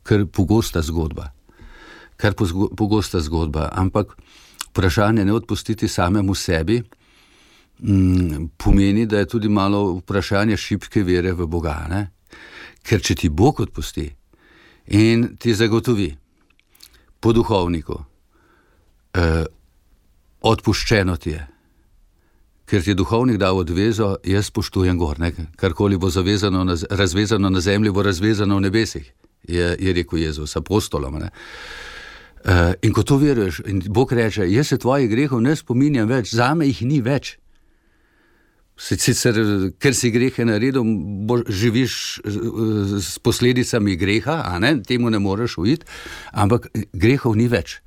kar pogosta zgodba. Kar pogosta zgodba, ampak vprašanje ne odpustiti samemu sebi pomeni, da je tudi malo vprašanje šibke vere v Boga, ne? Ker če ti Bog odpusti in ti zagotovi po duhovniku, eh, odpuščeno ti je, ker ti je duhovnik dal odvezo, jaz spoštujem gor, ne? Karkoli bo zavezano na, razvezano na zemlji, bo razvezano v nebesih, je, je rekel Jezus apostolom, ne? Uh, in ko to veruješ, in Bog reče, jaz se tvojih grehov ne spominjam več, zame jih ni več. Sicer, ker si grehe naredil, bo, živiš s posledicami greha, a ne, temu ne moreš uiti, ampak grehov ni več.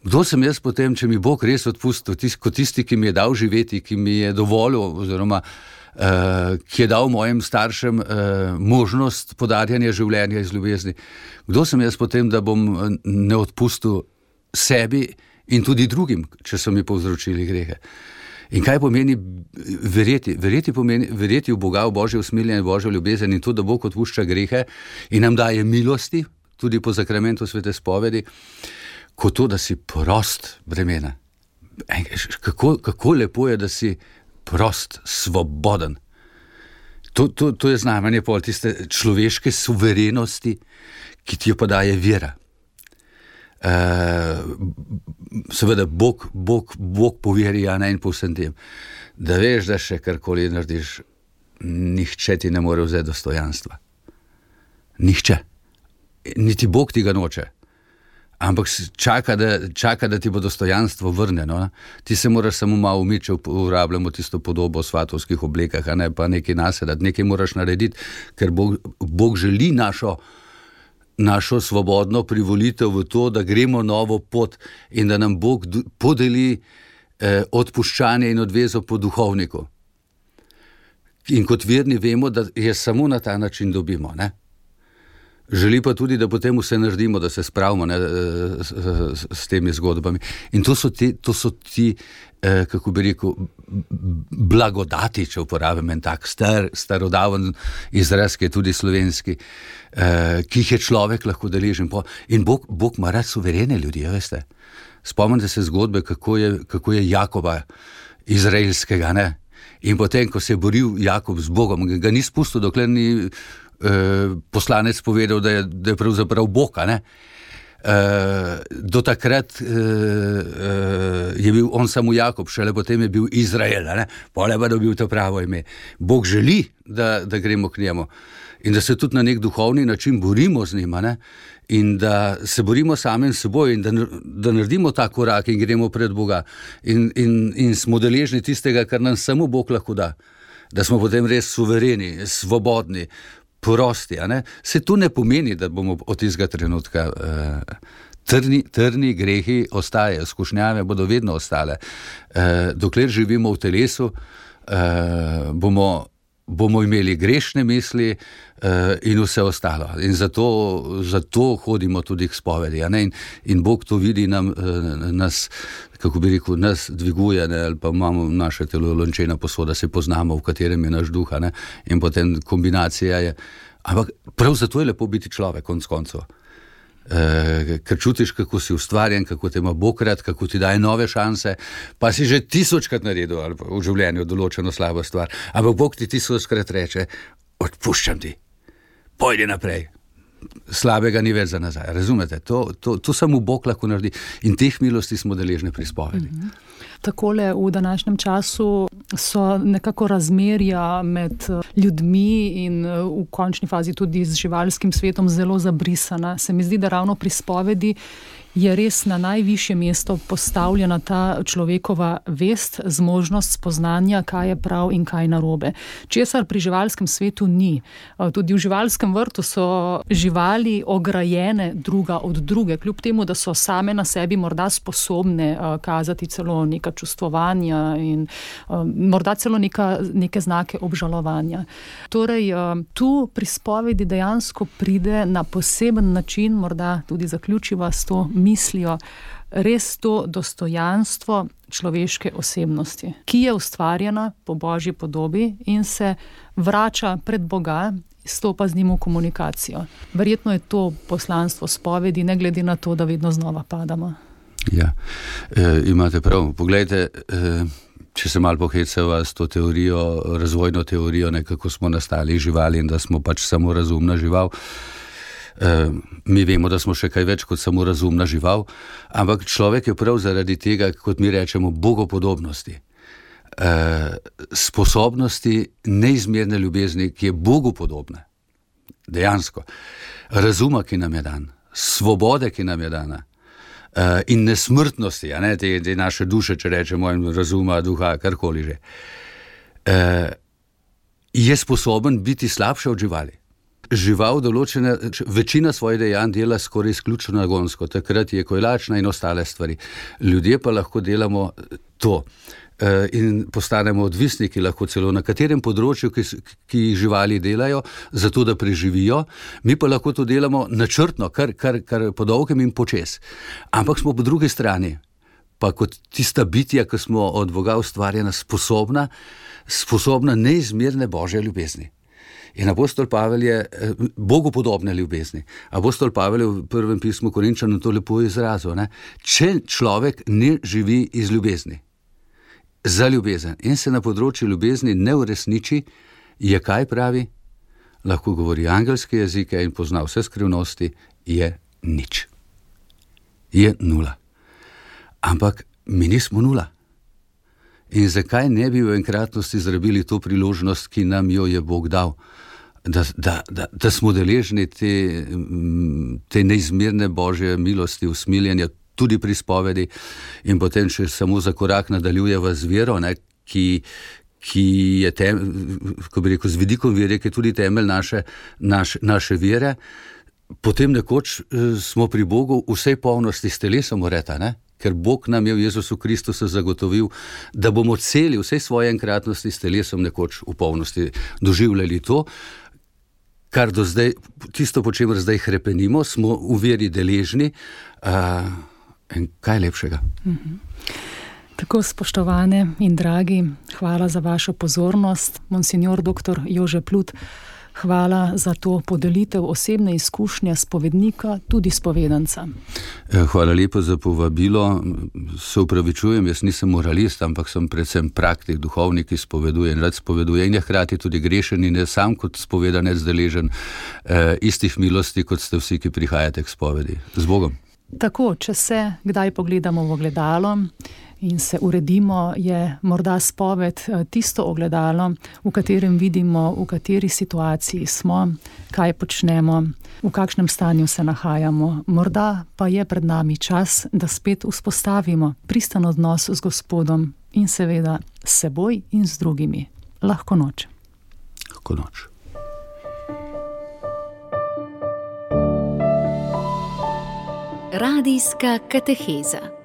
Kdo sem jaz potem, če mi Bog res odpustil, tis, kot tisti, ki mi je dal živeti, ki mi je dovolil, oziroma uh, ki je dal mojim staršem uh, možnost podarjanja življenja iz ljubezni. Kdo sem jaz potem, da bom ne odpustil sebi in tudi drugim, če so mi povzročili grehe? In kaj pomeni verjeti? Verjeti pomeni verjeti v Boga, v Božje usmiljenje, v Božjo ljubezen in to, da Bog odpušča grehe in nam daje milosti, tudi po zakramentu svete spovedi, kot to, da si prost bremena. Kako, kako lepo je, da si prost, svoboden. To, to, to je znamenje pol tiste človeške suverenosti, ki ti jo pa daje vera. Uh, seveda Bog, Bog, Bog poveri, ja, ne, in po vsem tem, da veš, da še karkoli narediš, nihče ti ne more vzeti dostojanstva. Nihče. Niti Bog ti ga noče. Ampak čaka da, čaka, da ti bo dostojanstvo vrnjeno. Ti se moraš samo malo umiti, če uporabljamo tisto podobo v svatovskih oblekah, a ne, pa nekaj nasedati, nekaj moraš narediti, ker Bog, Bog želi našo našo svobodno privolitev v to, da gremo novo pot in da nam Bog podeli eh, odpuščanje in odvezo po duhovniku. In kot verni vemo, da je samo na ta način dobimo, ne? Želi pa tudi, da potem vse naredimo, da se spravimo, ne, s, s, s temi zgodbami. In to so ti, to so ti eh, kako bi rekel, blagodati, če uporabim en tak star, starodaven izraz, ki je tudi slovenski, eh, ki jih je človek lahko deležen. In Bog, Bog ima rad suverene ljudi, veste. Spomnite se zgodbe, kako je, kako je Jakoba izraelskega, ne? In potem, ko se je boril Jakob z Bogom, ga ni spustil, dokler ni eh, poslanec povedal, da je, da je pravzaprav Bog, ne? Eh, do takrat eh, eh, je bil on samo Jakob, šele potem je bil Izrael, ne? Pole pa dobil to pravo ime. Bog želi, da, da gremo k njemu in da se tudi na nek duhovni način borimo z njima, ne? In da se borimo sami s seboj in da, da naredimo ta korak in gremo pred Boga in, in, in smo deležni tistega, kar nam samo Bog lahko da, da smo potem res suvereni, svobodni, prosti. Se to ne pomeni, da bomo od tistega trenutka eh, trni, trni grehi ostajajo, skušnjave bodo vedno ostale. Eh, dokler živimo v telesu, eh, bomo bomo imeli grešne misli uh, in vse ostalo. In zato, zato hodimo tudi k spovedi. In, in Bog to vidi, nam, uh, nas, kako bi rekel, nas dviguje, ne? Ali pa imamo naše telo lončena posoda, se poznamo, v katerem je naš duh, ne? In potem kombinacija je. Ampak prav zato je lepo biti človek, konc koncev. Uh, ker čutiš, kako si ustvarjen, kako te ima Bog rad, kako ti daje nove šanse, pa si že tisočkrat naredil ali v življenju določeno slabo stvar, ampak Bog ti tisočkrat reče, odpuščam ti, pojdi naprej, slabega ni več za nazaj, razumete? To, to, to samo Bog lahko naredi in teh milosti smo deležni pri spovedi. Mm-hmm. Takole v današnjem času so nekako razmerja med ljudmi in v končni fazi tudi z živalskim svetom zelo zabrisana. Se mi zdi, da ravno pri spovedi je res na najvišje mesto postavljena ta človekova vest, zmožnost spoznanja, kaj je prav in kaj narobe. Česar pri živalskem svetu ni. Tudi v živalskem vrtu so živali ograjene druga od druge, kljub temu, da so same na sebi morda sposobne kazati celo neka čustvovanja in morda celo neka, neke znake obžalovanja. Torej, tu pri spovedi dejansko pride na poseben način, morda tudi zaključiva s to mislijo, res to dostojanstvo človeške osebnosti, ki je ustvarjena po Božji podobi in se vrača pred Boga, stopa z njim v komunikacijo. Verjetno je to poslanstvo spovedi, ne glede na to, da vedno znova padamo. Ja, e, imate prav. Poglejte, e, če se malo pohecava s to teorijo, razvojno teorijo, nekako smo nastali živali in da smo pač samo razumna žival. Uh, mi vemo, da smo še kaj več kot samo razumna žival, ampak človek je prav zaradi tega, kot mi rečemo, bogopodobnosti, uh, sposobnosti neizmerne ljubezni, ki je Bogu podobna, dejansko, razuma, ki nam je dan, svobode, ki nam je dana, uh, in nesmrtnosti, a ne, te, te naše duše, če rečemo, in razuma, duha, karkoli že, uh, je sposoben biti slabše od živali. Žival določena, večina svojih dejanj dela skoraj izključno nagonsko, takrat je, ko je lačna in ostale stvari. Ljudje pa lahko delamo to in postanemo odvisniki lahko celo na katerem področju, ki, ki živali delajo, zato da preživijo, mi pa lahko to delamo načrtno, kar, kar, kar po dolgem in počes. Ampak smo po drugi strani, pa kot tista bitja, ki smo od Boga ustvarjena, sposobna, sposobna neizmerne Božje ljubezni. In apostol Pavel je Bogu podobne ljubezni. Apostol Pavel je v prvem pismu Korinčanom to lepo izrazil. Ne? Če človek ne živi iz ljubezni, za ljubezen in se na področju ljubezni ne uresniči, je kaj pravi? Lahko govori angelske jezike in pozna vse skrivnosti, je nič. Je nula. Ampak mi nismo nula. In zakaj ne bi v enkratnosti zrabili to priložnost, ki nam jo je Bog dal, da, da, da, da smo deležni te, te neizmerne Božje milosti, usmiljenja, tudi pri spovedi in potem še samo za korak nadaljujeva z vero, ne, ki, ki je tem, ko bi rekel, z vidikom vere, ki je tudi temelj naše, naš, naše vere, potem nekoč smo pri Bogu vsej polnosti s telesom ureta, ne? Ker Bog nam je v Jezusu Kristusu zagotovil, da bomo celi vsej svoje enkratnosti s telesom nekoč v polnosti doživljali to, kar do zdaj, tisto, po čemer zdaj hrepenimo, smo v veri deležni. Uh, in kaj lepšega? Mhm. Tako, spoštovane in dragi, hvala za vašo pozornost. Monsignor doktor Jože Plut, hvala za to podelitev osebne izkušnje spovednika, tudi spovedanca. Hvala lepo za povabilo. Se upravičujem, jaz nisem moralist, ampak sem predvsem praktik, duhovnik, ki spoveduje in rad spoveduje in je hkrati tudi grešen in je sam kot spovedanec deležen eh, istih milosti, kot ste vsi, ki prihajate k spovedi. Z Bogom. Tako, če se kdaj pogledamo v ogledalo in se uredimo, je morda spoved tisto ogledalo, v katerem vidimo, v kateri situaciji smo, kaj počnemo, v kakšnem stanju se nahajamo. Morda pa je pred nami čas, da spet vzpostavimo pristan odnos z Gospodom in seveda s seboj in z drugimi. Lahko noč. Lahko noč. Radijska kateheza.